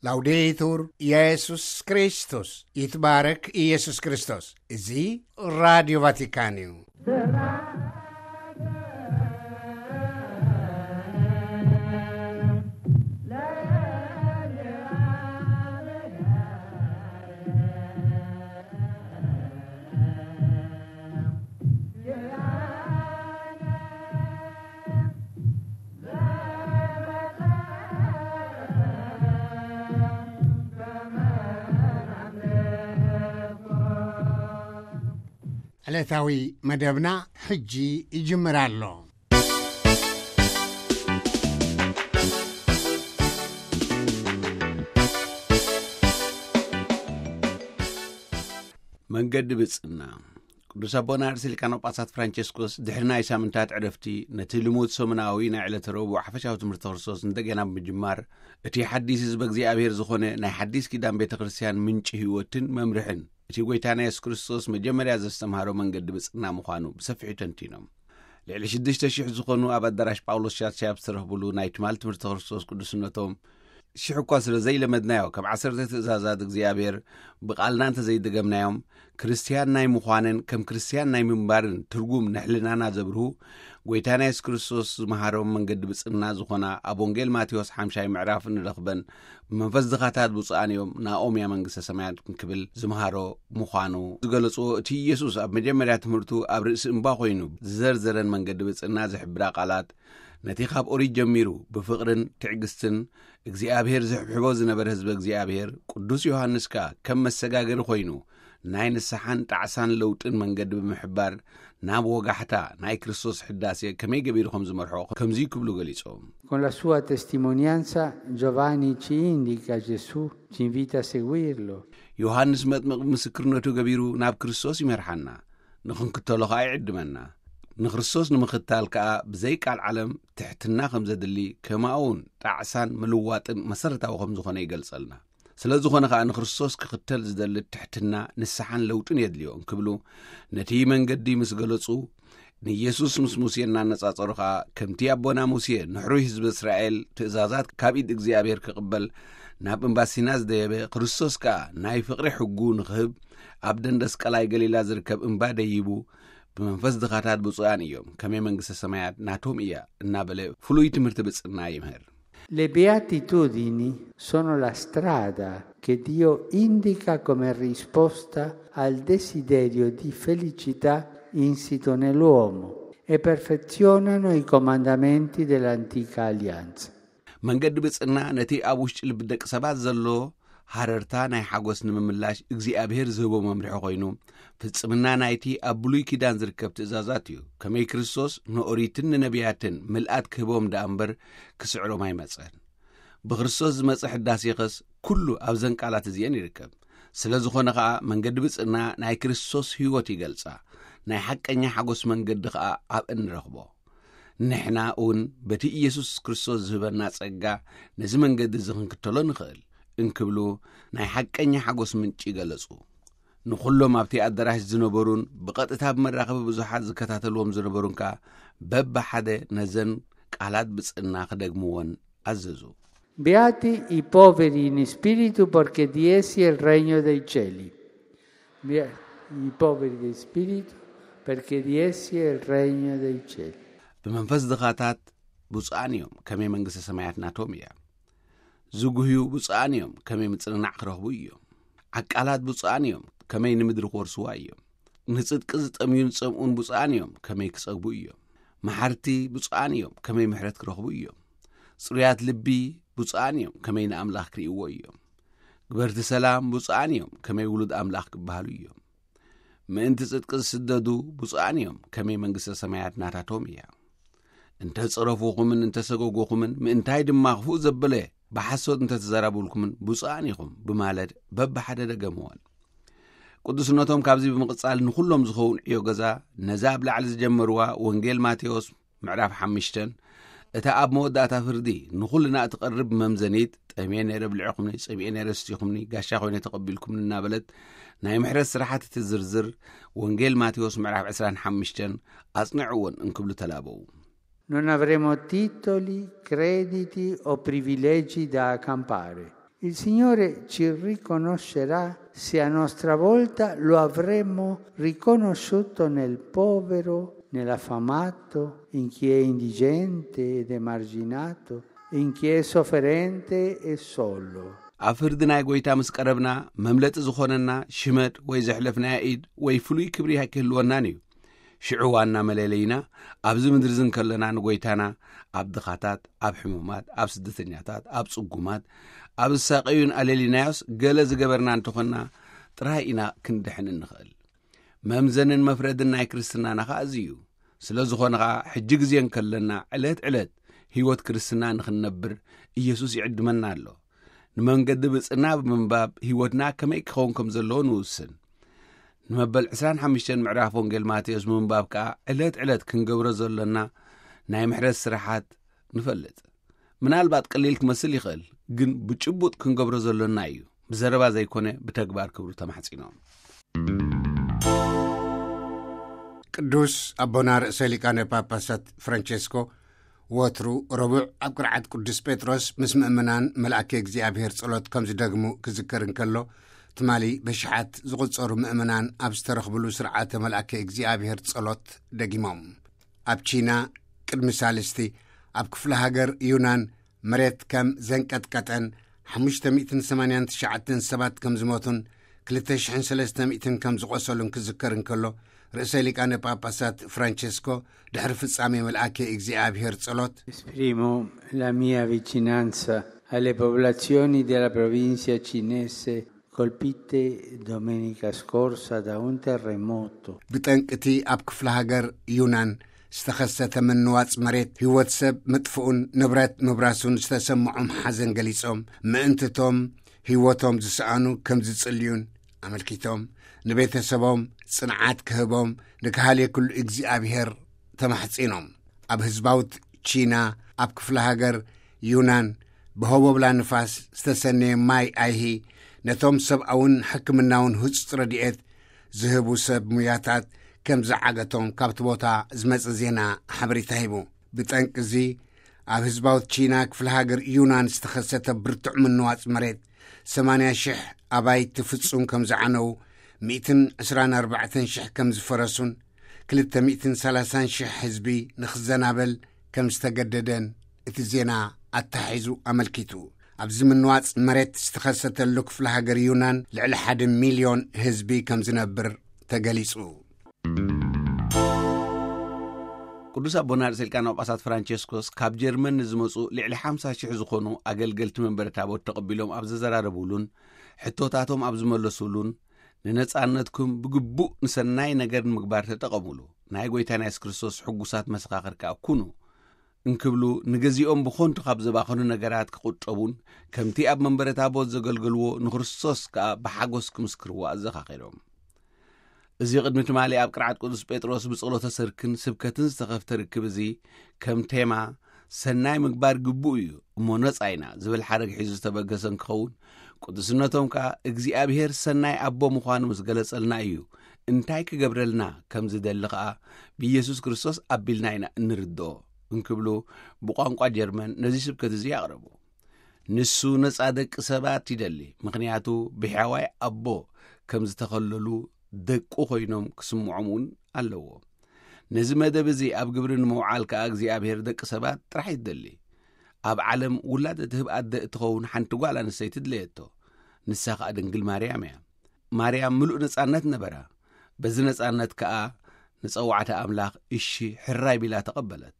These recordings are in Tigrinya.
ላውዴቱር ኢየሱስ ክርስቶስ፣ ይትባረክ ኢየሱስ ክርስቶስ። እዚ ራዲዮ ቫቲካን እዩ። ዕለታዊ መደብና ሕጂ ይጅምር ኣሎ። መንገዲ ብጽና። ቅዱስ ኣቦና ርእሰ ሊቃነ ጳጳሳት ፍራንቸስኮስ ድሕሪ ናይ ሳምንታት ዕረፍቲ፣ ነቲ ልሙድ ሰሙናዊ ናይ ዕለተ ረቡዕ ሓፈሻዊ ትምህርቲ ክርስቶስ እንደገና ብምጅማር፣ እቲ ሓዲስ ህዝበ እግዚኣብሔር ዝኾነ ናይ ሓዲስ ኪዳን ቤተ ክርስቲያን ምንጪ ህይወትን መምርሕን፣ እቲ ጐይታና የሱስ ክርስቶስ መጀመርያ ዘስተምሃሮ መንገዲ ብጽና ምዃኑ ብሰፊሑ ተንቲኖም። ልዕሊ ሽዱሽተ ሽሕ ዝኾኑ ኣብ ኣዳራሽ ጳውሎስ ሻድሻይ ኣብ ዝተረኽብሉ ናይ ትማል ትምህርቲ ክርስቶስ ቅዱስነቶም፣ ሽሕ እኳ ስለ ዘይለመድናዮ፣ ከም ዓሰርተ ትእዛዛት እግዚኣብሔር ብቓልና እንተዘይደገምናዮም፣ ክርስትያን ናይ ምዃንን ከም ክርስትያን ናይ ምንባርን ትርጉም ንሕልናና ዘብርሁ፣ ጐይታና የሱስ ክርስቶስ ዝመሃሮም መንገዲ ብጽና ዝኾና ኣብ ወንጌል ማቴዎስ ሓምሻይ ምዕራፍ እንረኽበን፣ ብመንፈስ ድኻታት ብፁዓን እዮም፣ ናኦም እያ መንግስተ ሰማያት እንክብል ዝመሃሮ ምዃኑ ዝገለጽዎ፣ እቲ ኢየሱስ ኣብ መጀመርያ ትምህርቱ ኣብ ርእሲ እምባ ኮይኑ ዝዘርዘረን መንገዲ ብጽና ዝሕብራ ቃላት፣ ነቲ ካብ ኦሪት ጀሚሩ ብፍቕርን ትዕግስትን እግዚኣብሔር ዝሕብሕቦ ዝነበረ ህዝቢ እግዚኣብሔር፣ ቅዱስ ዮሃንስ ከኣ ከም መሰጋገሪ ኮይኑ ናይ ንስሓን ጣዕሳን ለውጥን መንገዲ ብምሕባር፣ ናብ ወጋሕታ ናይ ክርስቶስ ሕዳሴ ከመይ ገቢሩ ከም ዝመርሖ ከምዚ ክብሉ ገሊጾም። Con la sua testimonianza Giovanni ci indica Gesù, ci invita a seguirlo. ዮሃንስ መጥምቕ ምስክርነቱ ገቢሩ ናብ ክርስቶስ ይመርሓና፣ ንኽንክተሎ ኸኣ ይዕድመና። ንክርስቶስ ንምኽታል ከኣ ብዘይ ቃል ዓለም ትሕትና ከም ዘድሊ፣ ከማኡውን ጣዕሳን ምልዋጥን መሰረታዊ ከም ዝኾነ ይገልጸልና። ስለ ዝኾነ ኸኣ ንክርስቶስ ክኽተል ዝደሊ ትሕትና፣ ንስሓን ለውጥን የድልዮ እንክብሉ፣ ነቲ መንገዲ ምስ ገለጹ፣ ንኢየሱስ ምስ ሙሴ እናነጻጸሩ ኸኣ፣ ከምቲ ኣቦና ሙሴ ንሕሩይ ህዝቢ እስራኤል ትእዛዛት ካብ ኢድ እግዚኣብሔር ክቕበል ናብ እምባ ሲና ዝደየበ፣ ክርስቶስ ከኣ ናይ ፍቕሪ ሕጉ ንኽህብ ኣብ ደንደስ ቀላይ ገሊላ ዝርከብ እምባ ደይቡ፣ ብመንፈስ ድኻታት ብፁዓን እዮም፣ ከመይ መንግስተ ሰማያት ናቶም እያ እናበለ ፍሉይ ትምህርቲ ብጽና ይምህር። Le beatitudini sono la strada che Dio indica come risposta al desiderio di felicità insito nell'uomo e perfezionano i comandamenti dell'antica alleanza. መንገዲ ብጽና ነቲ ኣብ ውሽጢ ልቢ ደቂ ሰባት ዘሎ ሃረርታ ናይ ሓጎስ ንምምላሽ እግዚኣብሔር ዝህቦ መምርሒ ኮይኑ፣ ፍጽምና ናይቲ ኣብ ብሉይ ኪዳን ዝርከብ ትእዛዛት እዩ። ከመይ ክርስቶስ ንኦሪትን ንነቢያትን ምልኣት ክህቦም ደኣ እምበር ክስዕሮም ኣይመጸን። ብክርስቶስ ዝመጸ ሕዳሴ ኸስ ኩሉ ኣብዘን ቃላት እዚአን ይርከብ። ስለ ዝኾነ ኸኣ መንገዲ ብጽና ናይ ክርስቶስ ህይወት ይገልጻ። ናይ ሓቀኛ ሓጎስ መንገዲ ኸኣ ኣብአን ንረኽቦ። ንሕና እውን በቲ ኢየሱስ ክርስቶስ ዝህበና ጸጋ ነዚ መንገዲ እዚ ክንክተሎ ንኽእል እንክብሉ ናይ ሓቀኛ ሓጎስ ምንጪ ገለጹ። ንኹሎም ኣብቲ ኣዳራሽ ዝነበሩን ብቐጥታ ብመራኸቢ ብዙሓት ዝከታተልዎም ዝነበሩን ከኣ በብሓደ ነዘን ቃላት ብጽና ክደግምወን ኣዘዙ። Beati i poveri in spirito, perché di essi è il regno dei cieli. Bea-, i poveri di spirito, perché di essi è il regno dei cieli. ብመንፈስ ድኻታት ብፁዓን እዮም፣ ከመይ መንግስተ ሰማያት ናቶም እያ። ዝጉህዩ ብፁዓን እዮም፣ ከመይ ምጽንናዕ ክረኽቡ እዮም። ዓቃላት ብፁዓን እዮም፣ ከመይ ንምድሪ ክወርስዋ እዮም። ንጽድቂ ዝጠምዩን ዝጸምኡን ብፁዓን እዮም፣ ከመይ ክጸግቡ እዮም። መሓርቲ ብፁዓን እዮም፣ ከመይ ምሕረት ክረኽቡ እዮም። ጽሩያት ልቢ ብፁዓን እዮም፣ ከመይ ንኣምላኽ ክርእይዎ እዮም። ግበርቲ ሰላም ብፁዓን እዮም፣ ከመይ ውሉድ ኣምላኽ ክበሃሉ እዮም። ምእንቲ ጽድቂ ዝስደዱ ብፁዓን እዮም፣ ከመይ መንግስተ ሰማያት ናታቶም እያ። እንተ ጸረፉኹምን እንተ ሰጎጉኹምን፣ ምእንታይ ድማ ክፉእ ዘበለ ብሓሶት እንተ ተዛረቡልኩምን ብፁዓን ኢኹም ብማለት በብሓደ ደገምወን። ቅዱስነቶም ካብዚ ብምቕጻል ንኹሎም ዝኸውን ዕዮ ገዛ ነዛ ኣብ ላዕሊ ዝጀመርዋ ወንጌል ማቴዎስ ምዕራፍ ሓሙሽተን፣ እታ ኣብ መወዳእታ ፍርዲ ንኹልና እትቐርብ መምዘኒት፣ ጠምየ ነይረ ብልዕኹምኒ፣ ጸሚኤ ነይረ ስቲኹምኒ፣ ጋሻ ኮይነ ተቐቢልኩምኒ እናበለት ናይ ምሕረት ስራሓት እትዝርዝር ወንጌል ማቴዎስ ምዕራፍ ዕስራን ሓሙሽተን ኣጽንዕወን እንክብሉ ተላበዉ። Non avremo titoli, crediti o privilegi da accampare, Il Signore ci riconoscerà se a nostra volta lo avremo riconosciuto nel povero, nell'affamato, in chi è indigente ed emarginato, in chi è sofferente e solo. ኣብ ፍርዲ ናይ ጎይታ ምስ ቀረብና፣ መምለጢ ዝኾነና ሽመት ወይ ዘሕለፍናዮ ኢድ ወይ ፍሉይ ክብሪ ኣይክህልወናን እዩ። ሽዑ ዋና መለለይና ኣብዚ ምድሪ እዚ እንከለና ንጎይታና ኣብ ድኻታት፣ ኣብ ሕሙማት፣ ኣብ ስደተኛታት፣ ኣብ ጽጉማት፣ ኣብ ዝሳቐዩን ኣለሊናዮስ ገለ ዝገበርና እንተኾንና ጥራይ ኢና ክንድሕን እንኽእል። መምዘንን መፍረድን ናይ ክርስትናና ኸኣ እዚ እዩ። ስለ ዝኾነ ኸኣ ሕጂ ግዜ እንከለና ዕለት ዕለት ህይወት ክርስትና ንኽንነብር ኢየሱስ ይዕድመና ኣሎ። ንመንገዲ ብጽና ብምንባብ ህይወትና ከመይ ክኸውን ከም ዘለዎ ንውስን። ንመበል ዕስራን ሓሙሽተን ምዕራፍ ወንጌል ማቴዎስ ብምንባብ ከኣ ዕለት ዕለት ክንገብሮ ዘሎና ናይ ምሕረት ስራሓት ንፈልጥ። ምናልባት ቀሊል ክመስል ይኽእል፣ ግን ብጭቡጥ ክንገብሮ ዘሎና እዩ። ብዘረባ ዘይኮነ ብተግባር ክብሉ ተማሕጺኖም። ቅዱስ ኣቦና ርእሰ ሊቃነ ጳጳሳት ፍራንቸስኮ ወትሩ ረቡዕ ኣብ ቅርዓት ቅዱስ ጴጥሮስ ምስ ምእመናን መልኣከ እግዚኣብሔር ጸሎት ከም ዝደግሙ ክዝከር እንከሎ፣ ትማሊ በሽሓት ዝቑጸሩ ምእመናን ኣብ ዝተረኽብሉ ስርዓተ መልኣከ እግዚኣብሔር ጸሎት ደጊሞም። ኣብ ቺና ቅድሚ ሳልስቲ ኣብ ክፍለ ሃገር ዩናን መሬት ከም ዘንቀጥቀጠን ሓሙሽተ ሚእትን ሰማንያን ትሽዓተን ሰባት ከም ዝሞቱን ክልተ ሽሕን ሰለስተ ሚእትን ከም ዝቖሰሉን ክዝከር እንከሎ፣ ርእሰ ሊቃነ ጳጳሳት ፍራንቸስኮ ድሕሪ ፍጻሜ መልኣከ እግዚኣብሔር ጸሎት፣ Esprimo la mia vicinanza alle popolazioni della provincia cinese colpite domenica scorsa da un terremoto. ብጠንቅቲ ኣብ ክፍለ ሃገር ዩናን ዝተኸሰተ ምንዋጽ መሬት ህይወት ሰብ ምጥፍኡን ንብረት ምብራሱን ዝተሰምዖም ሓዘን ገሊጾም፣ ምእንትቶም ህይወቶም ዝሰኣኑ ከም ዝጽልዩን ኣመልኪቶም፣ ንቤተሰቦም ጽንዓት ክህቦም ንካህልየክሉ እግዚኣብሔር ተማሕጺኖም። ኣብ ህዝባውት ቺና ኣብ ክፍለ ሃገር ዩናን ብሆቦብላ ንፋስ ዝተሰነየ ማይ ኣይሂ ነቶም ሰብኣውን ሕክምናውን ህጹጽ ረድኤት ዝህቡ ሰብ ሙያታት ከም ዝዓገቶም ካብቲ ቦታ ዝመጸ ዜና ሓበሬታ ሂቡ። ብጠንቂ እዚ ኣብ ህዝባውት ቺና ክፍለ ሃገር ዩናን ዝተኸሰተ ብርቱዕ ምንዋጽ መሬት ሰማንያ ሽሕ ኣባይቲ ፍጹም ከም ዝዓነው፣ ሚእትን ዕስራን ኣርባዕተን ሽሕ ከም ዝፈረሱን ክልተ ሚእትን ሰላሳን ሽሕ ህዝቢ ንኽዘናበል ከም ዝተገደደን እቲ ዜና ኣተሓሒዙ ኣመልኪቱ። ኣብዚ ምንዋጽ መሬት ዝተኸሰተሉ ክፍለ ሃገር ዩናን ልዕሊ ሓደ ሚልዮን ህዝቢ ከም ዝነብር ተገሊጹ። ቅዱስ ኣቦና ርእሰ ሊቃነ ጳጳሳት ፍራንቸስኮስ ካብ ጀርመን ንዝመጹ ልዕሊ ሓምሳ ሽሕ ዝኾኑ ኣገልገልቲ መንበረ ታቦት ተቐቢሎም ኣብ ዘዘራረቡሉን ሕቶታቶም ኣብ ዝመለሱሉን፣ "ንነጻነትኩም ብግቡእ ንሰናይ ነገር ንምግባር ተጠቐሙሉ፣ ናይ ጎይታና የሱስ ክርስቶስ ሕጉሳት መሰኻኽር ከኣ ኩኑ" እንክብሉ፣ ንገዚኦም ብኾንቱ ካብ ዘባኸኑ ነገራት ክቑጠቡን ከምቲ ኣብ መንበረ ታቦት ዘገልገልዎ ንክርስቶስ ከኣ ብሓጎስ ክምስክርዎ ኣዘኻኺሮም። እዚ ቅድሚ ትማሊ ኣብ ቅርዓት ቅዱስ ጴጥሮስ ብጸሎተ ሰርክን ስብከትን ዝተኸፍተ ርክብ እዚ፣ ከም ቴማ "ሰናይ ምግባር ግቡእ እዩ እሞ ነጻ ኢና" ዝብል ሓረግ ሒዙ ዝተበገሰ እንክኸውን፣ ቅዱስነቶም ከኣ "እግዚኣብሔር ሰናይ ኣቦ ምዃኑ ምስ ገለጸልና እዩ፣ እንታይ ክገብረልና ከም ዝደሊ ከኣ ብኢየሱስ ክርስቶስ ኣቢልና ኢና እንርድኦ" እንክብሉ ብቋንቋ ጀርመን ነዚ ስብከት እዚ ኣቕረቡ። ንሱ ነጻ ደቂ ሰባት ይደሊ፣ ምኽንያቱ ብሕያዋይ ኣቦ ከም ዝተኸለሉ ደቁ ኮይኖም ክስምዖም እውን ኣለዎ። ነዚ መደብ እዚ ኣብ ግብሪ ንምውዓል ከኣ እግዚኣብሔር ደቂ ሰባት ጥራሕ ይደሊ። ኣብ ዓለም ውላድ እትህብ ኣደ እትኸውን ሓንቲ ጓል ኣንስተይቲ ድለየቶ። ንሳ ከኣ ድንግል ማርያም እያ። ማርያም ምሉእ ነጻነት ነበራ። በዚ ነጻነት ከኣ ንጸዋዕታ ኣምላኽ እሺ ሕራይ ቢላ ተቐበለት።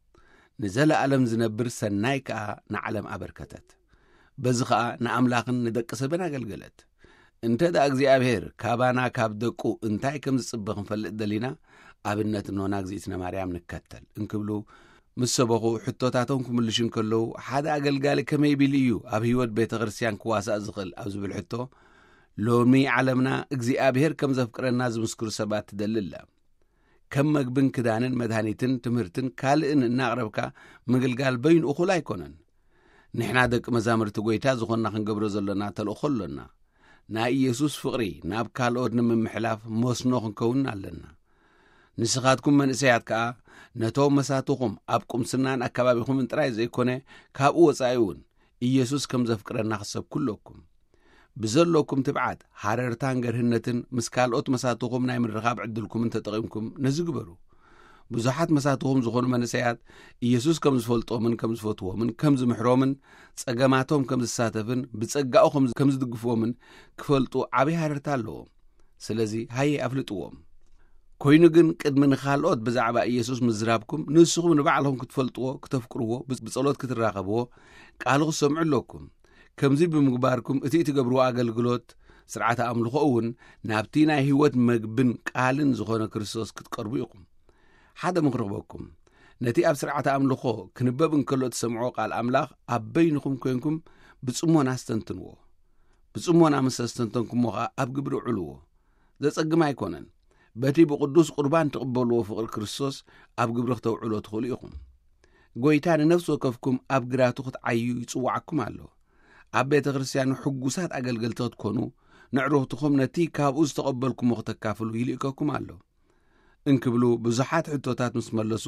ንዘለኣለም ዝነብር ሰናይ ከኣ ንዓለም ኣበርከተት። በዚ ኸኣ ንኣምላኽን ንደቂ ሰብን ኣገልገለት። እንተ ደኣ እግዚኣብሔር ካባና ካብ ደቁ እንታይ ከም ዝጽበ ክንፈልጥ ደሊና፣ ኣብነት እኖና እግዚኣብእትነ ማርያም ንከተል እንክብሉ ምስ ሰበኹ፣ ሕቶታቶም ክምልሹ እንከለዉ፣ ሓደ ኣገልጋሊ ከመይ ቢሉ እዩ ኣብ ህይወት ቤተ ክርስቲያን ክዋሳእ ዝኽእል ኣብ ዝብል ሕቶ፣ ሎሚ ዓለምና እግዚኣብሔር ከም ዘፍቅረና ዝምስክሩ ሰባት ትደሊ ኣላ። ከም መግብን ክዳንን መድሃኒትን ትምህርትን ካልእን እናቕረብካ ምግልጋል በይኑ እኹል ኣይኮነን። ንሕና ደቂ መዛሙርቲ ጐይታ ዝኾንና ክንገብሮ ዘሎና ተልእኾ ኣሎና። ናይ ኢየሱስ ፍቕሪ ናብ ካልኦት ንምምሕላፍ መስኖ ክንከውን ኣለና። ንስኻትኩም መንእሰያት ከኣ ነቶም መሳትኹም ኣብ ቁምስናን ኣካባቢኹምን ጥራይ ዘይኮነ ካብኡ ወጻኢ እውን ኢየሱስ ከም ዘፍቅረና ክትሰብኩ ኣለኩም። ብዘለኩም ትብዓት፣ ሃረርታን ገርህነትን ምስ ካልኦት መሳትኹም ናይ ምርኻብ ዕድልኩምን ተጠቒምኩም ነዚ ግበሩ። ብዙሓት መሳትኹም ዝኾኑ መንእሰያት፣ ኢየሱስ ከም ዝፈልጦምን ከም ዝፈትዎምን ከም ዝምሕሮምን፣ ጸገማቶም ከም ዝሳተፍን ብጸጋኡ ከም ከም ዝድግፍዎምን ክፈልጡ ዓብዪ ሃረርታ ኣለዎም። ስለዚ ሃየ ኣፍልጥዎም። ኮይኑ ግን፣ ቅድሚ ንኻልኦት ብዛዕባ ኢየሱስ ምዝራብኩም፣ ንስኹም ንባዕልኹም ክትፈልጥዎ፣ ክተፍቅርዎ፣ ብ-፣ ብጸሎት ክትራኸብዎ፣ ቃሉ ክትሰምዑ ኣለኩም። ከምዚ ብምግባርኩም፣ እቲ እትገብርዎ ኣገልግሎት ስርዓተ ኣምልኾ እውን ናብቲ ናይ ህይወት መግብን ቃልን ዝኾነ ክርስቶስ ክትቀርቡ ኢኹም። ሓደ ምኽሪ ክበኩም። ነቲ ኣብ ስርዓተ ኣምልኾ ክንበብ እንከሎ እትሰምዕዎ ቃል ኣምላኽ ኣብ በይንኹም ኮይንኩም ብጽሞና ኣስተንትንዎ። ብጽሞና ምስ ኣስተንተንኩሞ ኸኣ ኣብ ግብሪ ውዕልዎ። ዘጸግም ኣይኮነን። በቲ ብቕዱስ ቁርባን ትቕበልዎ ፍቕሪ ክርስቶስ ኣብ ግብሪ ክተውዕሎ ትኽእሉ ኢኹም። ጐይታ ንነፍሲ ወከፍኩም ኣብ ግራቱ ክትዓዩ ይጽውዓኩም ኣሎ። ኣብ ቤተ ክርስቲያኑ ሕጉሳት ኣገልገልቲ ክትኮኑ፣ ንዕሩኽትኹም ነቲ ካብኡ ዝተቐበልኩሞ ክተካፍሉ ይልእከኩም ኣሎ። እንክብሉ ብዙሓት ሕቶታት ምስ መለሱ፣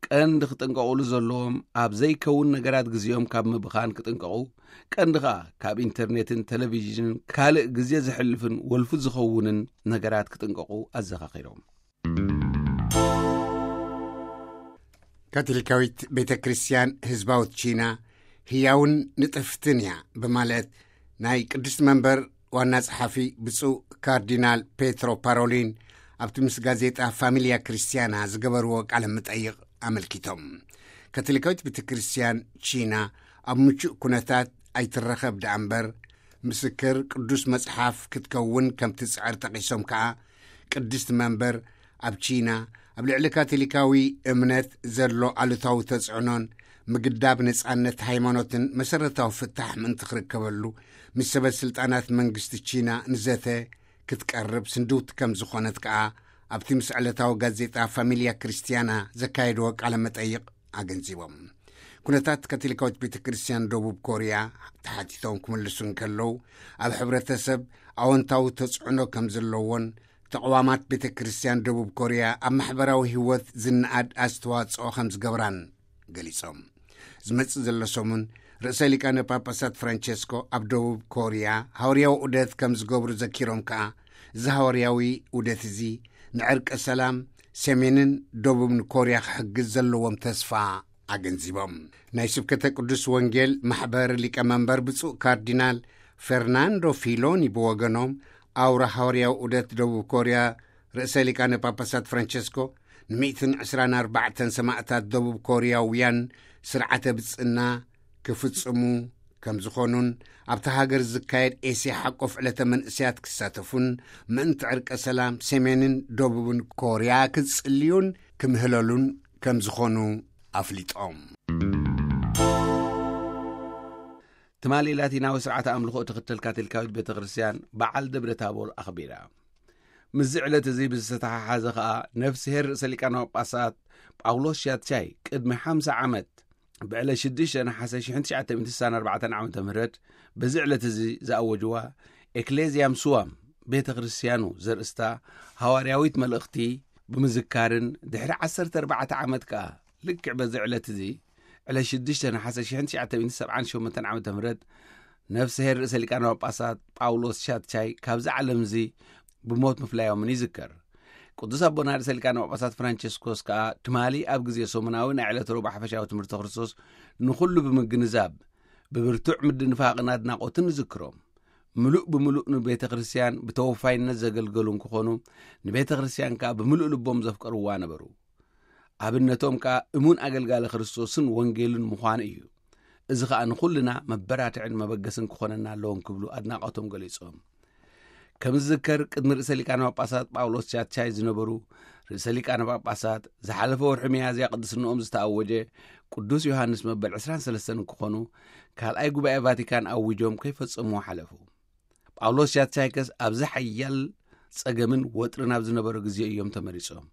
ቀንዲ ክጥንቀቑሉ ዘለዎም ኣብ ዘይከውን ነገራት ግዜኦም ካብ ምብኻን ክጥንቀቑ፣ ቀንዲ ኸኣ ካብ ኢንተርኔትን ቴሌቪዥንን ካልእ ግዜ ዘሕልፍን ወልፊ ዝኸውንን ነገራት ክጥንቀቑ ኣዘኻኺሮም። ካቶሊካዊት ቤተ ክርስቲያን ህዝባዊት ቺና ህያውን ንጥፍትን እያ ብማለት ናይ ቅድስቲ መንበር ዋና ጸሓፊ ብፁዕ ካርዲናል ፔትሮ ፓሮሊን ኣብቲ ምስ ጋዜጣ ፋሚልያ ክርስቲያና ዝገበርዎ ቃለ መጠይቕ ኣመልኪቶም። ካቶሊካዊት ቤተ ክርስቲያን ቺና ኣብ ምቹእ ኩነታት ኣይትረኸብ ደኣ እምበር፣ ምስክር ቅዱስ መጽሓፍ ክትከውን ከም ትጽዕር ጠቒሶም ከኣ፣ ቅድስቲ መንበር ኣብ ቺና ኣብ ልዕሊ ካቶሊካዊ እምነት ዘሎ ኣሉታዊ ተጽዕኖን ምግዳብ ነጻነት ሃይማኖትን መሰረታዊ ፍታሕ ምእንቲ ክርከበሉ ምስ ሰበ ስልጣናት መንግስቲ ቺና ንዘተ ክትቀርብ ስንድውቲ ከም ዝኾነት ከኣ ኣብቲ ምስ ዕለታዊ ጋዜጣ ፋሚልያ ክርስቲያና ዘካየድዎ ቃለ መጠይቕ ኣገንዚቦም። ኩነታት ካቶሊካዊት ቤተ ክርስቲያን ደቡብ ኮርያ ተሓቲቶም ክምልሱ እንከለዉ፣ ኣብ ሕብረተሰብ ኣወንታዊ ተጽዕኖ ከም ዘለዎን፣ ተቕዋማት ቤተ ክርስቲያን ደቡብ ኮርያ ኣብ ማሕበራዊ ህይወት ዝነኣድ ኣስተዋጽኦ ከም ዝገብራን ገሊጾም። ዝመጽእ ዘሎ ሰሙን ርእሰ ሊቃነ ጳጳሳት ፍራንቸስኮ ኣብ ደቡብ ኮርያ ሃዋርያዊ ዑደት ከም ዝገብሩ ዘኪሮም ከኣ፣ እዚ ሃዋርያዊ ዑደት እዚ ንዕርቀ ሰላም ሰሜንን ደቡብን ኮርያ ክሕግዝ ዘለዎም ተስፋ ኣገንዚቦም። ናይ ስብከተ ቅዱስ ወንጌል ማሕበር ሊቀ መንበር ብፁዕ ካርዲናል ፈርናንዶ ፊሎኒ ብወገኖም፣ ኣውራ ሃዋርያዊ ዑደት ደቡብ ኮርያ ርእሰ ሊቃነ ጳጳሳት ፍራንቸስኮ ንሚእትን ዕስራን ኣርባዕተን ሰማእታት ደቡብ ኮርያውያን ስርዓተ ብጽና ክፍጽሙ ከም ዝኾኑን፣ ኣብታ ሃገር ዝካየድ ኤስያ ሓቆፍ ዕለተ መንእሰያት ክሳተፉን፣ ምእንቲ ዕርቀ ሰላም ሰሜንን ደቡብን ኮርያ ክጽልዩን ክምህለሉን ከም ዝኾኑ ኣፍሊጦም። ትማሊ ላቲናዊ ስርዓተ ኣምልኾ እትኽተል ካቶሊካዊት ቤተ ክርስቲያን በዓል ደብረ ታቦር ኣኽቢራ። ምስዚ ዕለት እዚ ብዝተተሓሓዘ ኸኣ፣ ነፍስሄር ርእሰ ሊቃነ ጳጳሳት ጳውሎስ ሻትሻይ ቅድሚ ሓምሳ ዓመት ብዕለት ሽዱሽተ ነሓሰ ሽሕን ትሽዓተ ሚእትን ስሳን ኣርባዕተን ዓመተ ምህረት በዚ ዕለት እዚ ዝኣወጅዋ ኤክሌዝያም ሱዋም፣ ቤተ ክርስቲያኑ ዘርእስታ ሃዋርያዊት መልእኽቲ ብምዝካርን፣ ድሕሪ ዓሰርተ ኣርባዕተ ዓመት ከኣ ልክዕ በዚ ዕለት እዚ፣ ዕለት ሽዱሽተ ነሓሰ ሽሕን ትሽዓተ ሚእትን ሰብዓን ሸሞንተን ዓመተ ምህረት፣ ነፍስሄር ርእሰ ሊቃነ ጳጳሳት ጳውሎስ ሻትሻይ ካብዚ ዓለም እዚ ብሞት ምፍላዮምን ይዝከር። ቅዱስ ኣቦና ርእሰ ሊቃነ ጳጳሳት ፍራንቸስኮስ ከኣ ትማሊ ኣብ ግዜ ሰሙናዊ ናይ ዕለተ ረቡዕ ሓፈሻዊ ትምህርተ ክርስቶስ ንኹሉ ብምግንዛብ፣ ብብርቱዕ ምድንፋቕን ኣድናቖትን ንዝክሮም። ምሉእ ብምሉእ ንቤተ ክርስቲያን ብተወፋይነት ዘገልገሉ እንክኾኑ፣ ንቤተ ክርስቲያን ከኣ ብምሉእ ልቦም ዘፍቀርዋ ነበሩ። ኣብነቶም ከኣ እሙን ኣገልጋሊ ክርስቶስን ወንጌልን ምዃኑ እዩ። እዚ ኸኣ ንኹልና መበራትዕን መበገስን ክኾነና ኣለዎ እንክብሉ ኣድናቖቶም ገሊጾም። ከም ዝዝከር፣ ቅድሚ ርእሰ ሊቃነ ጳጳሳት ጳውሎስ ሻትሻይ ዝነበሩ፣ ርእሰ ሊቃነ ጳጳሳት ዝሓለፈ ወርሒ ሚያዝያ ቅድስንኦም ዝተኣወጀ ቅዱስ ዮሃንስ መበል ዕስራን ሰለስተን እንክኾኑ፣ ካልኣይ ጉባኤ ቫቲካን ኣዊጆም ከይፈጸምዎ ሓለፉ። ጳውሎስ ሻትሻይከስ ኣብዚ ሓያል ጸገምን ወጥርን ኣብ ዝነበረ ግዜ እዮም ተመሪጾም።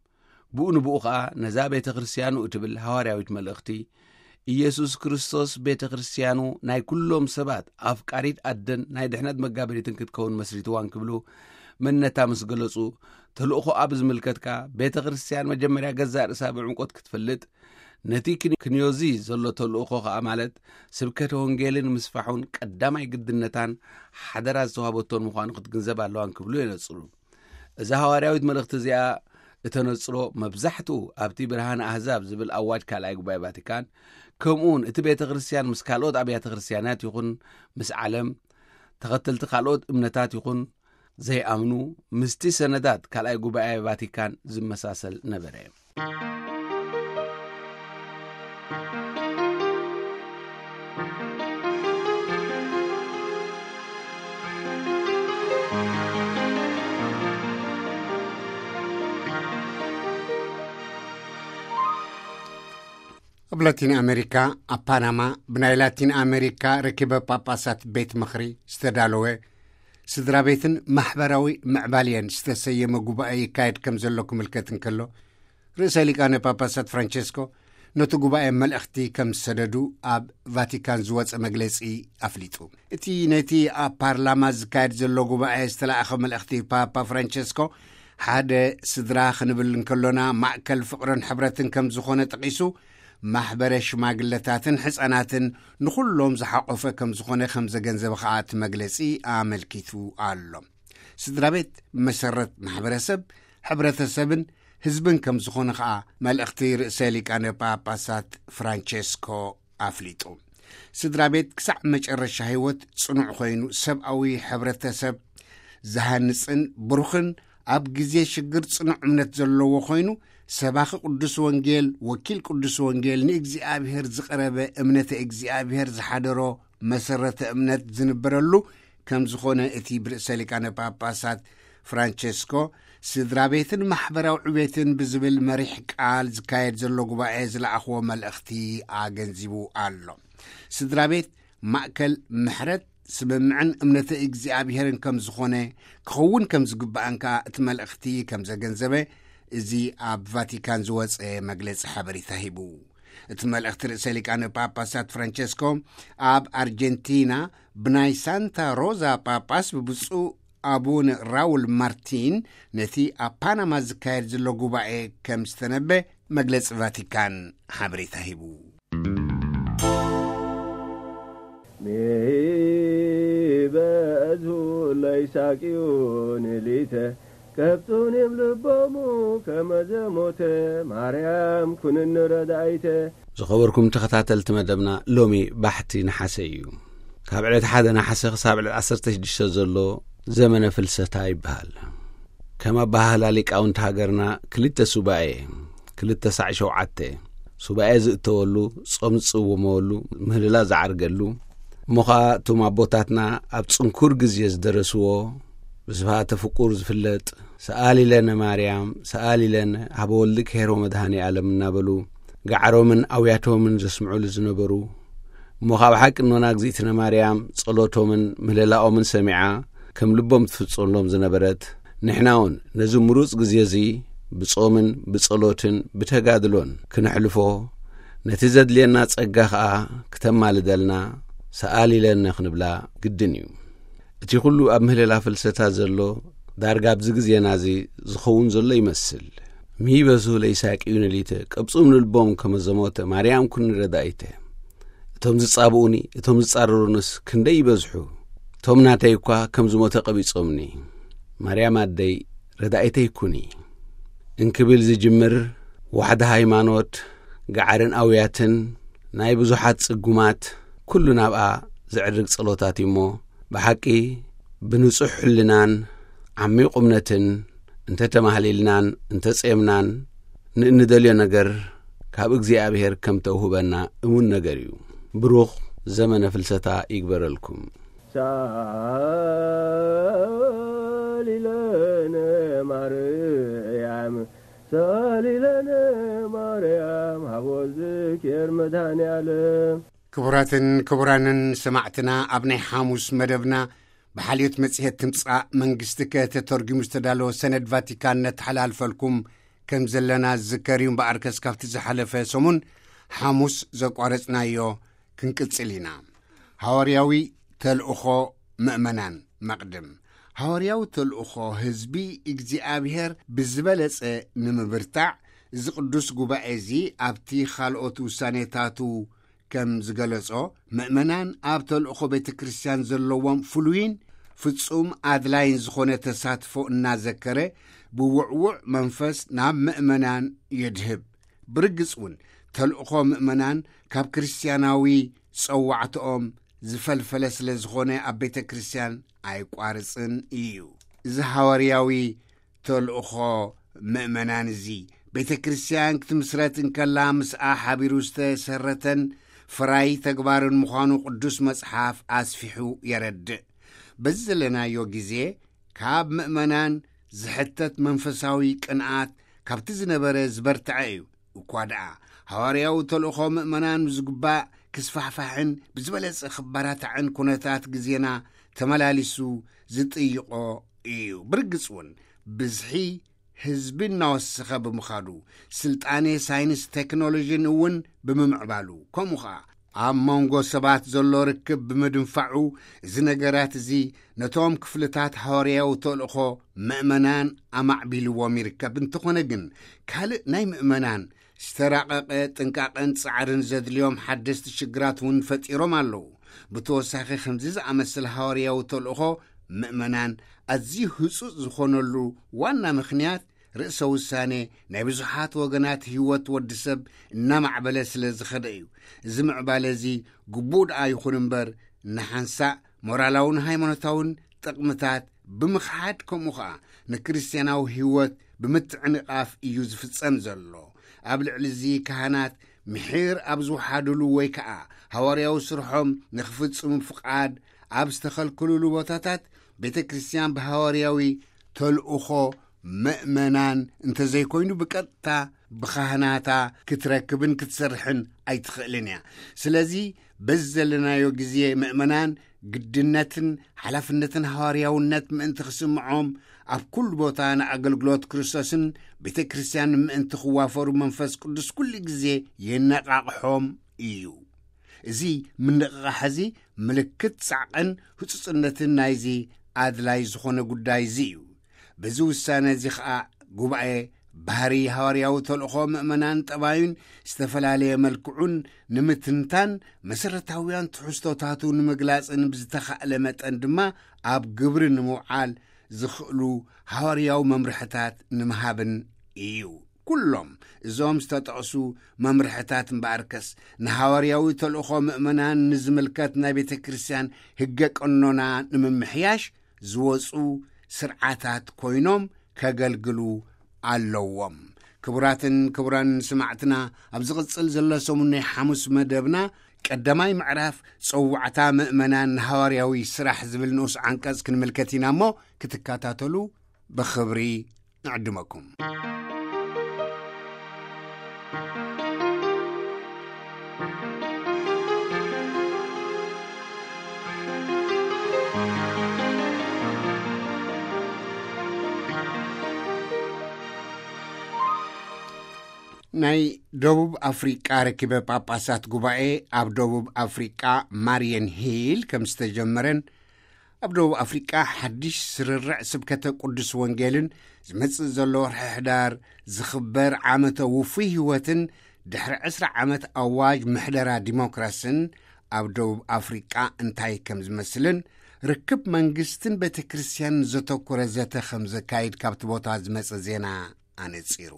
ብኡ ንብኡ ኸኣ ነዛ ቤተ ክርስቲያኑ እትብል ሃዋርያዊት መልእኽቲ፣ ኢየሱስ ክርስቶስ ቤተ ክርስቲያኑ ናይ ኩሎም ሰባት ኣፍቃሪት ኣደን ናይ ድሕነት መጋበሪትን ክትከውን መስሪትዋ እንክብሉ መንነታ ምስ ገለጹ፣ ተልእኾኣ ብዝምልከት ከኣ ቤተ ክርስቲያን መጀመርያ ገዛእ ርእሳ ብዕምቆት ክትፈልጥ፣ ነቲ ክን-፣ ክንዮዚ ዘሎ ተልእኾ ኸኣ፣ ማለት ስብከተ ወንጌልን ምስፋሑን ቀዳማይ ግድነታን ሓደራ ዝተዋህበቶን ምዃኑ ክትግንዘብ ኣለዋን ክብሉ የነጽሩ። እዛ ሃዋርያዊት መልእኽቲ እዚኣ እተነጽሮ፣ መብዛሕትኡ ኣብቲ ብርሃነ ኣህዛብ ዝብል ኣዋጅ ካልኣይ ጉባኤ ቫቲካን፣ ከምኡውን እቲ ቤተ ክርስቲያን ምስ ካልኦት ኣብያተ ክርስቲያናት ይኹን ምስ ዓለም ተኸተልቲ ካልኦት እምነታት ይኹን ዘይኣምኑ፣ ምስቲ ሰነዳት ካልኣይ ጉባኤ ቫቲካን ዝመሳሰል ነበረ። ኣብ ላቲን ኣሜሪካ፣ ኣብ ፓናማ፣ ብናይ ላቲን ኣሜሪካ ርክበ ጳጳሳት ቤት ምኽሪ ዝተዳለወ ስድራ ቤትን ማሕበራዊ ምዕባልየን ዝተሰየመ ጉባኤ ይካየድ ከም ዘሎ ክምልከት እንከሎ፣ ርእሰ ሊቃነ ጳጳሳት ፍራንቸስኮ ነቲ ጉባኤ መልእኽቲ ከም ዝሰደዱ ኣብ ቫቲካን ዝወጸ መግለጺ ኣፍሊጡ። እቲ ነቲ ኣብ ፓርላማ ዝካየድ ዘሎ ጉባኤ ዝተላእኸ መልእኽቲ ፓፓ ፍራንቸስኮ፣ ሓደ ስድራ ክንብል እንከሎና ማእከል ፍቕርን ሕብረትን ከም ዝኾነ ጠቒሱ፣ ማሕበረ ሽማግለታትን ሕጻናትን ንኹሎም ዝሓቖፈ ከም ዝኾነ ከም ዘገንዘበ ኸኣ እቲ መግለጺ ኣመልኪቱ ኣሎ። ስድራ ቤት መሰረት ማሕበረሰብ፣ ሕብረተሰብን ህዝብን ከም ዝኾነ ኸኣ መልእኽቲ ርእሰ ሊቃነ ጳጳሳት ፍራንቸስኮ ኣፍሊጡ። ስድራ ቤት ክሳዕ መጨረሻ ህይወት ጽኑዕ ኮይኑ፣ ሰብኣዊ ሕብረተሰብ ዝሃንጽን ብሩኽን፣ ኣብ ግዜ ሽግር ጽኑዕ እምነት ዘለዎ ኮይኑ፣ ሰባኺ ቅዱስ ወንጌል፣ ወኪል ቅዱስ ወንጌል፣ ንእግዚኣብሔር ዝቐረበ፣ እምነተ እግዚኣብሔር ዝሓደሮ፣ መሰረተ እምነት ዝንበረሉ ከም ዝኾነ እቲ ብርእሰ ሊቃነ ጳጳሳት ፍራንቸስኮ ስድራ ቤትን ማሕበራዊ ዕቤትን ብዝብል መሪሕ ቃል ዝካየድ ዘሎ ጉባኤ ዝለኣኽዎ መልእኽቲ ኣገንዚቡ ኣሎ። ስድራ ቤት ማእከል ምሕረት፣ ስምምዕን እምነተ እግዚኣብሔርን ከም ዝኾነ ክኸውን ከም ዝግባእን ከኣ እቲ መልእኽቲ ከም ዘገንዘበ እዚ ኣብ ቫቲካን ዝወጸ መግለጺ ሓበሬታ ሂቡ። እቲ መልእኽቲ ርእሰ ሊቃነ ጳጳሳት ፍራንቸስኮ ኣብ ኣርጀንቲና ብናይ ሳንታ ሮዛ ጳጳስ ብብፁዕ ኣቡነ ራውል ማርቲን ነቲ ኣብ ፓናማ ዝካየድ ዘሎ ጉባኤ ከም ዝተነበ መግለጺ ቫቲካን ሓበሬታ ሂቡ። ሚበዝሁ ለይሳቅዩ ንሊተ ከብጹን እም ልቦሙ ከመዘሞተ ማርያም ኩንኒ ረዳይተ። ዝኸበርኩም ተኸታተልቲ መደብና፣ ሎሚ ባሕቲ ነሓሰ እዩ። ካብ ዕለት ሓደ ነሓሰ ክሳብ ዕለት ዓሰርተ ሽዱሽተ ዘሎ ዘመነ ፍልሰታ ይበሃል። ከም ኣበሃህላ ሊቃውንቲ ሃገርና ክልተ ሱባኤ፣ ክልተ ሳዕ ሸውዓተ፣ ሱባኤ ዝእተወሉ፣ ጾም ዝጽወመሉ፣ ምህልላ ዝዓርገሉ፣ እሞ ኸኣ እቶም ኣቦታትና ኣብ ጽንኩር ግዜ ዝደረስዎ፣ ብስብሃተ ፍቁር ዝፍለጥ፣ ሰኣሊ ለነ ማርያም፣ ሰኣሊ ለነ ሀበ ወልድኪ ኄር ወመድኃኔ ዓለም እናበሉ፣ ገዓሮምን ኣውያቶምን ዘስምዑሉ ዝነበሩ፣ እሞ ኻብ ሓቂ እኖና እግዚኣብነ ማርያም ጸሎቶምን ምህለላኦምን ሰሚዓ፣ ከም ልቦም ትፍጽመሎም ዝነበረት፣ ንሕና እውን ነዚ ምሩጽ ግዜ እዚ ብጾምን ብጸሎትን ብተጋድሎን ክነሕልፎ፣ ነቲ ዘድልየና ጸጋ ኸኣ ክተማልደልና ሰኣሊ ለነ ክንብላ ግድን እዩ። እቲ ኹሉ ኣብ ምህለላ ፍልሰታ ዘሎ፣ ዳርጋ ኣብዚ ግዜና እዚ ዝኸውን ዘሎ ይመስል። ሚበዝሁ ለይሳቅዩ ንሊተ፣ ቀብጹም ንልቦም ከመ ዘሞተ፣ ማርያም ኩኒ ረዳኢተ። እቶም ዝጻብኡኒ፣ እቶም ዝጻረሩንስ ክንደይ ይበዝሑ። እቶም ናተይ እኳ ከም ዝሞተ ቀቢጾምኒ። ማርያም ኣደይ፣ ረዳኢተይ ኩኒ። እንክብል ዝጅምር፣ ዋሕዲ ሃይማኖት፣ ገዓርን ኣውያትን፣ ናይ ብዙሓት ጽጉማት፣ ኩሉ ናብኣ ዘዕርግ ጸሎታት እዩ እሞ፣ ብሓቂ ብንጹሕ ሕልናን ዓሚቕ እምነትን እንተ ተማህሊልናን እንተ ጼምናን፣ ንእንደልዮ ነገር ካብ እግዚኣብሔር ከም ተውህበና እሙን ነገር እዩ። ብሩኽ ዘመነ ፍልሰታ ይግበረልኩም። ሳሊለነ ማርያም፣ ሳሊለነ ማርያም፣ ሃቦ ዝክር መድኃኔ ዓለም። ክቡራትን ክቡራንን ሰማዕትና፣ ኣብ ናይ ሓሙስ መደብና ብሓልዮት መጽሔት ትምጻእ መንግስትከ ተተርጒሙ ዝተዳለወ ሰነድ ቫቲካን ነተሓላልፈልኩም ከም ዘለና ዝዝከር እዩ። እምበኣርከስ ካብቲ ዝሓለፈ ሰሙን ሓሙስ ዘቋረጽናዮ ክንቅጽል ኢና። ሃዋርያዊ ተልእኾ ምእመናን መቕድም። ሃዋርያዊ ተልእኾ ህዝቢ እግዚኣብሔር ብዝበለጸ ንምብርታዕ እዚ ቅዱስ ጉባኤ እዚ ኣብቲ ካልኦት ውሳኔታቱ ከም ዝገለጾ፣ ምእመናን ኣብ ተልእኾ ቤተ ክርስቲያን ዘለዎም ፍሉይን ፍጹም ኣድላይን ዝኾነ ተሳትፎ እናዘከረ፣ ብውዕዉዕ መንፈስ ናብ ምእመናን የድህብ። ብርግጽ እውን፣ ተልእኾ ምእመናን ካብ ክርስቲያናዊ ጸዋዕትኦም ዝፈልፈለ ስለ ዝኾነ፣ ኣብ ቤተ ክርስቲያን ኣይቋርጽን እዩ። እዚ ሃዋርያዊ ተልእኾ ምእመናን እዚ፣ ቤተ ክርስቲያን ክትምስረት እንከላ ምስኣ ሓቢሩ ዝተሰረተን ፍራይ ተግባርን ምዃኑ ቅዱስ መጽሓፍ ኣስፊሑ የረድእ። በዚ ዘለናዮ ግዜ፣ ካብ ምእመናን ዝሕተት መንፈሳዊ ቅንኣት ካብቲ ዝነበረ ዝበርትዐ እዩ። እኳ ደኣ፣ ሃዋርያዊ ተልእኾ ምእመናን ዝግባእ ክስፋሕፋሕን ብዝበለጸ ክበራታዕን ኩነታት ግዜና ተመላሊሱ ዝጥይቖ እዩ። ብርግጽ እውን፣ ብዝሒ ህዝቢ እናወሰኸ ብምኻዱ፣ ስልጣኔ ሳይንስ ቴክኖሎጂን እውን ብምምዕባሉ፣ ከምኡ ኸኣ ኣብ መንጎ ሰባት ዘሎ ርክብ ብምድንፋዑ፣ እዚ ነገራት እዚ ነቶም ክፍልታት ሃዋርያዊ ተልእኾ ምእመናን ኣማዕቢልዎም ይርከብ። እንተኾነ ግን፣ ካልእ ናይ ምእመናን ዝተራቐቐ ጥንቃቐን ጻዕርን ዘድልዮም ሓደስቲ ሽግራት እውን ፈጢሮም ኣለዉ። ብተወሳኺ፣ ከምዚ ዝኣመሰለ ሃዋርያዊ ተልእኾ ምእመናን ኣዝዩ ህጹጽ ዝኾነሉ ዋና ምኽንያት፣ ርእሰ ውሳኔ ናይ ብዙሓት ወገናት ህይወት ወዲ ሰብ እናማዕበለ ስለ ዝኸደ እዩ። እዚ ምዕባለ እዚ ግቡእ ደኣ ይኹን እምበር፣ ንሓንሳእ ሞራላውን ሃይማኖታውን ጥቕምታት ብምኽሓድ፣ ከምኡ ኸኣ ንክርስትያናዊ ህይወት ብምትዕንቓፍ እዩ ዝፍጸም ዘሎ። ኣብ ልዕሊ እዚ፣ ካህናት ምሒር ኣብ ዝወሓዱሉ ወይ ከኣ ሃዋርያዊ ስርሖም ንኽፍጽሙ ፍቓድ ኣብ ዝተኸልከሉሉ ቦታታት፣ ቤተ ክርስቲያን ብሃዋርያዊ ተልእኾ ምእመናን እንተዘይኮይኑ፣ ብቀጥታ ብኻህናታ ክትረክብን ክትሰርሕን ኣይትኽእልን እያ። ስለዚ፣ በዚ ዘለናዮ ግዜ፣ ምእመናን ግድነትን ሓላፍነትን ሃዋርያውነት ምእንቲ ክስምዖም፣ ኣብ ኩሉ ቦታ ንኣገልግሎት ክርስቶስን ቤተ ክርስቲያንን ምእንቲ ክዋፈሩ፣ መንፈስ ቅዱስ ኩሉ ግዜ የነቓቕሖም እዩ። እዚ ምንቕቓሕ እዚ፣ ምልክት ጻዕቕን ህጹጽነትን ናይዚ ኣድላይ ዝኾነ ጉዳይ እዚ እዩ። በዚ ውሳነ እዚ ኸኣ፣ ጉባኤ ባህሪ ሃዋርያዊ ተልእኾ ምእመናን ጠባዩን ዝተፈላለየ መልክዑን ንምትንታን፣ መሰረታውያን ትሕዝቶታቱ ንምግላጽን፣ ብዝተኻእለ መጠን ድማ ኣብ ግብሪ ንምውዓል ዝኽእሉ ሃዋርያዊ መምርሕታት ንምሃብን እዩ። ኩሎም እዞም ዝተጠቕሱ መምርሕታት እምበኣርከስ፣ ንሃዋርያዊ ተልእኾ ምእመናን ንዝምልከት ናይ ቤተ ክርስቲያን ህገ ቀኖና ንምምሕያሽ ዝወጹ ስርዓታት ኮይኖም ከገልግሉ ኣለዎም። ክቡራትን ክቡራን ስማዕትና፣ ኣብ ዝቕጽል ዘሎ ሰሙን ናይ ሓሙስ መደብና፣ ቀዳማይ ምዕራፍ ጸዋዕታ ምእመናን ንሃዋርያዊ ስራሕ ዝብል ንኡስ ዓንቀጽ ክንምልከት ኢና እሞ፣ ክትከታተሉ ብኽብሪ ንዕድመኩም። ናይ ደቡብ ኣፍሪቃ ርክበ ጳጳሳት ጉባኤ ኣብ ደቡብ ኣፍሪቃ ማርየን ሂል ከም ዝተጀመረን፣ ኣብ ደቡብ ኣፍሪቃ ሓድሽ ስርርዕ ስብከተ ቅዱስ ወንጌልን ዝመጽእ ዘሎ ወርሒ ሕዳር ዝኽበር ዓመተ ውፉይ ህይወትን ድሕሪ ዕስራ ዓመት ኣዋጅ ምሕደራ ዲሞክራስን ኣብ ደቡብ ኣፍሪቃ እንታይ ከም ዝመስልን ርክብ መንግስትን ቤተ ክርስቲያንን ዘተኮረ ዘተ ከም ዘካይድ ካብቲ ቦታ ዝመጸ ዜና ኣነጺሩ።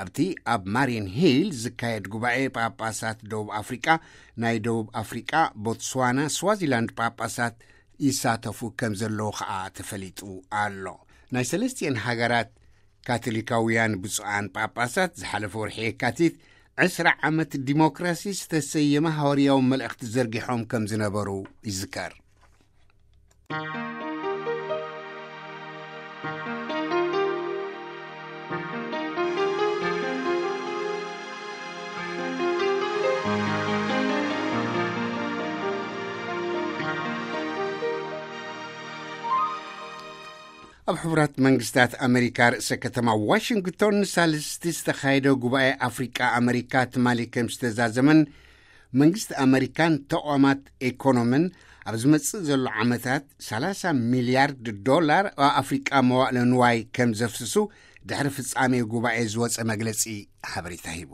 ኣብቲ ኣብ ማሪን ሂል ዝካየድ ጉባኤ ጳጳሳት ደቡብ ኣፍሪቃ፣ ናይ ደቡብ ኣፍሪቃ፣ ቦትስዋና፣ ስዋዚላንድ ጳጳሳት ይሳተፉ ከም ዘለዉ ኸኣ ተፈሊጡ ኣሎ። ናይ ሰለስቲኤን ሃገራት ካቶሊካውያን ብፁዓን ጳጳሳት ዝሓለፈ ወርሒ የካቲት ዕስራ ዓመት ዲሞክራሲ ዝተሰየመ ሃዋርያዊ መልእኽቲ ዘርጊሖም ከም ዝነበሩ ይዝከር። ኣብ ሕቡራት መንግስታት ኣመሪካ ርእሰ ከተማ ዋሽንግቶን ንሳልስቲ ዝተኻየደ ጉባኤ ኣፍሪቃ ኣመሪካ ትማሊ ከም ዝተዛዘመን፣ መንግስቲ ኣመሪካን ተቋማት ኢኮኖምን ኣብ ዝመጽእ ዘሎ ዓመታት ሰላሳ ሚልያርድ ዶላር ኣብ ኣፍሪቃ መዋእለ ንዋይ ከም ዘፍስሱ ድሕሪ ፍጻሜ ጉባኤ ዝወጸ መግለጺ ሓበሬታ ሂቡ።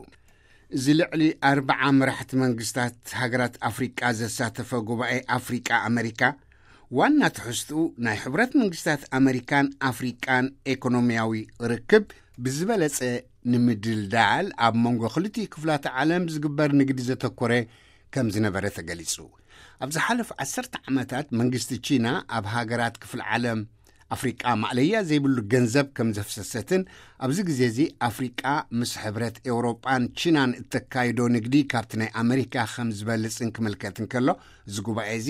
እዚ ልዕሊ ኣርብዓ መራሕቲ መንግስታት ሃገራት ኣፍሪቃ ዘሳተፈ ጉባኤ ኣፍሪቃ ኣመሪካ፣ ዋና ትሕዝትኡ ናይ ሕብረት መንግስታት ኣመሪካን ኣፍሪቃን ኤኮኖሚያዊ ርክብ ብዝበለጸ ንምድልዳል ኣብ መንጎ ክልቲኡ ክፍላተ ዓለም ዝግበር ንግዲ ዘተኮረ ከም ዝነበረ ተገሊጹ። ኣብ ዝሓለፉ ዓሰርተ ዓመታት መንግስቲ ቺና ኣብ ሃገራት ክፍለ ዓለም ኣፍሪቃ ማዕለያ ዘይብሉ ገንዘብ ከም ዘፍሰሰትን፣ ኣብዚ ግዜ እዚ ኣፍሪቃ ምስ ሕብረት ኤውሮጳን ቺናን እተካይዶ ንግዲ ካብቲ ናይ ኣመሪካ ከም ዝበልጽን ክምልከት እንከሎ፣ እዚ ጉባኤ እዚ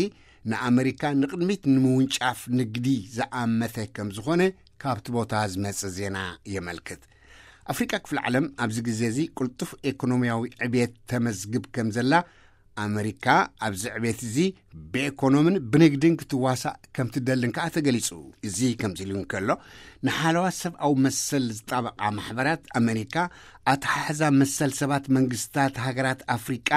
ንኣመሪካ ንቕድሚት ንምውንጫፍ ንግዲ ዝኣመተ ከም ዝኾነ ካብቲ ቦታ ዝመጽእ ዜና የመልክት። ኣፍሪቃ ክፍለ ዓለም ኣብዚ ግዜ እዚ ቅልጡፍ ኤኮኖሚያዊ ዕብየት ተመዝግብ ከም ዘላ፣ ኣመሪካ ኣብዚ ዕብየት እዚ ብኤኮኖምን ብንግድን ክትዋሳእ ከም ትደልን ከኣ ተገሊጹ። እዚ ከምዚ ኢሉ እንከሎ፣ ንሓለዋ ሰብኣዊ መሰል ዝጣበቓ ማሕበራት ኣመሪካ፣ ኣተሓሕዛ መሰል ሰባት መንግስታት ሃገራት ኣፍሪቃ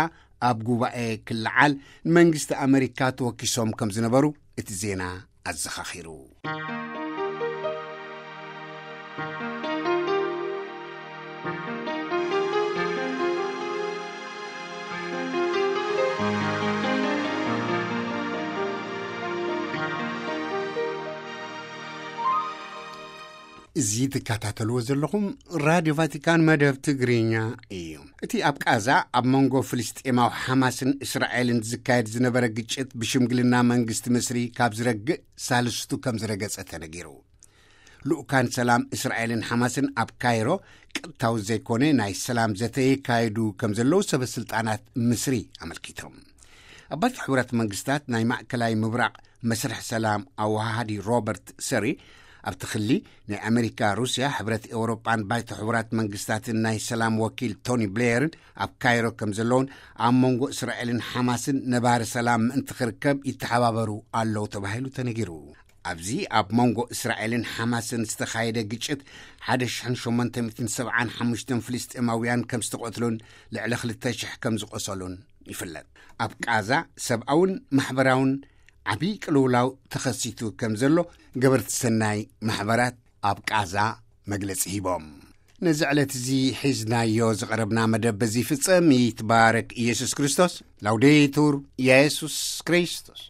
ኣብ ጉባኤ ክለዓል ንመንግስቲ ኣመሪካ ተወኪሶም ከም ዝነበሩ እቲ ዜና ኣዘኻኺሩ። እዚ ትከታተልዎ ዘለኹም ራድዮ ቫቲካን መደብ ትግርኛ እዩ። እቲ ኣብ ቃዛ ኣብ መንጎ ፍልስጤማዊ ሓማስን እስራኤልን ዝካየድ ዝነበረ ግጭት ብሽምግልና መንግስቲ ምስሪ ካብ ዝረግእ ሳልስቱ ከም ዝረገጸ ተነጊሩ። ልኡካን ሰላም እስራኤልን ሓማስን ኣብ ካይሮ ቀጥታዊ ዘይኮነ ናይ ሰላም ዘተ የካየዱ ከም ዘለዉ ሰበ ስልጣናት ምስሪ ኣመልኪቶም። ኣብ ባይቶ ሕቡራት መንግስታት ናይ ማእከላይ ምብራቕ መስርሕ ሰላም ኣወሃሃዲ ሮበርት ሰሪ፣ ኣብቲ ክሊ ናይ ኣመሪካ፣ ሩስያ፣ ሕብረት ኤውሮጳን ባይቶ ሕቡራት መንግስታትን ናይ ሰላም ወኪል ቶኒ ብሌየርን ኣብ ካይሮ ከም ዘለውን፣ ኣብ መንጎ እስራኤልን ሓማስን ነባሪ ሰላም ምእንቲ ክርከብ ይተሓባበሩ ኣለዉ ተባሂሉ ተነጊሩ። ኣብዚ ኣብ መንጎ እስራኤልን ሓማስን ዝተኻየደ ግጭት ሓደ ሽሕን ሸሞንተ ሚእትን ሰብዓን ሓሙሽተን ፍልስጤማውያን ከም ዝተቐትሉን ልዕሊ ክልተ ሽሕ ከም ዝቆሰሉን ይፍለጥ። ኣብ ቃዛ ሰብኣውን ማሕበራውን ዓብዪ ቅልውላው ተኸሲቱ ከም ዘሎ ገበርቲ ሰናይ ማሕበራት ኣብ ቃዛ መግለጺ ሂቦም። ነዚ ዕለት እዚ ሒዝናዮ ዝቐረብና መደብ በዚ ይፍጸም። ይትባረክ ኢየሱስ ክርስቶስ። ላውዴቱር ኢየሱስ ክርስቶስ።